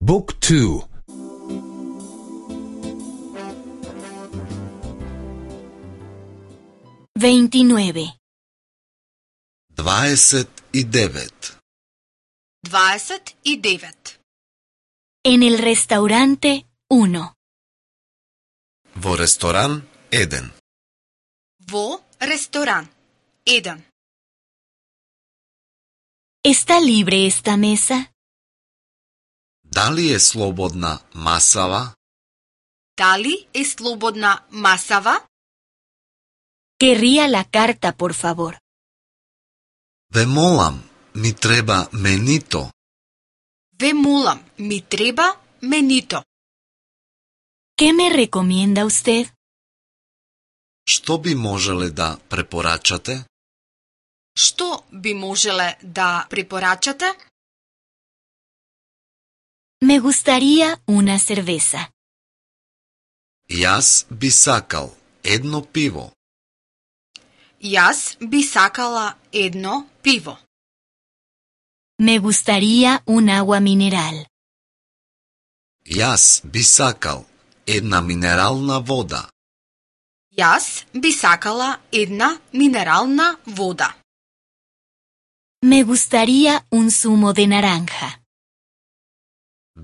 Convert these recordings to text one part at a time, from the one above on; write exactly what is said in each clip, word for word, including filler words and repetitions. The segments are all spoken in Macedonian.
Book two. veintinueve. дваесет и девет. дваесет и девет. En el restaurante uno. Во ресторан еден. Во ресторан еден. ¿Está libre esta mesa? Дали е слободна масава? Дали е слободна масава? Querría la carta, por favor. Ве молам, ми треба менито. Ве молам, ми треба менито. ¿Qué me recomienda usted? Што би можеле да препорачате? Што би можеле да препорачате? Me gustaría una cerveza. Јас би сакал едно пиво. Јас би сакала едно пиво. Me gustaría un agua mineral. Јас би сакал една минерална вода. Јас би сакала една минерална вода. Me gustaría un zumo de naranja.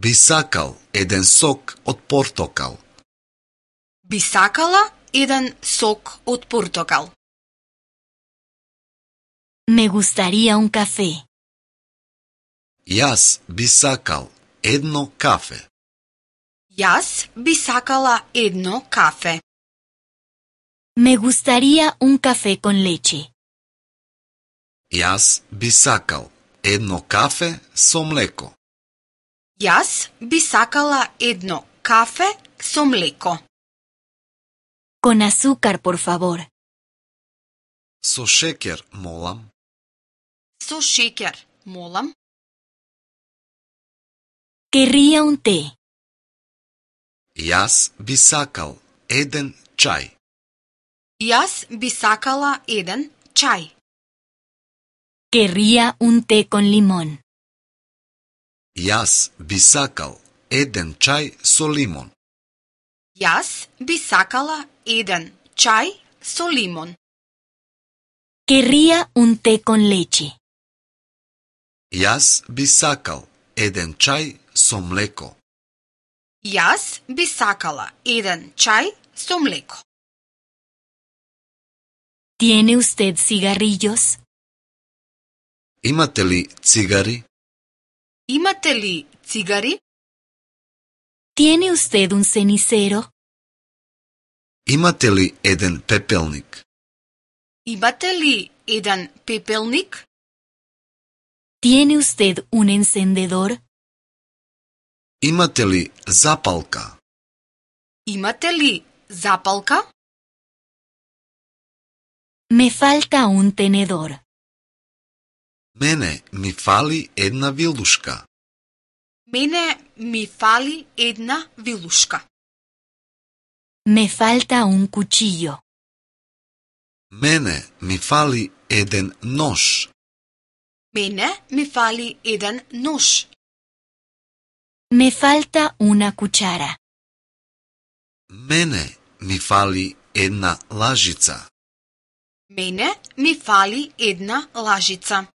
Би сакал еден сок од портокал. Би сакала еден сок од портокал. Me gustaría un café. Јас би сакал едно кафе. Јас би сакала едно кафе. Me gustaría un café con leche. Јас би сакал едно кафе со млеко. Јас би сакала едно кафе со млеко. Con azúcar, por favor. Со шеќер, молам. Со шеќер, молам. Querría un té. Јас би сакал еден чај. Јас би сакала еден чај. Querría un té con limón. Јас би сакал еден чај со лимон. Јас би сакала еден чај со лимон. Querría un té con leche. Јас би сакал еден чај со млеко. Јас би сакала еден чај со млеко. ¿Tiene usted cigarrillos? Имате ли цигари? Имате ли цигари? ¿Tiene usted un cenicero? Имате ли еден пепелник? Имате ли еден пепелник? ¿Tiene usted un encendedor? Имате ли запалка? Имате ли запалка? Me falta un tenedor. Мене ми фали една вилушка. Мене ми фали една вилушка. Me falta un cuchillo. Мене ми фали еден нож. Мене ми фали еден нож. Me falta una cuchara. Мене ми фали една лажица. Мене ми фали една лажица.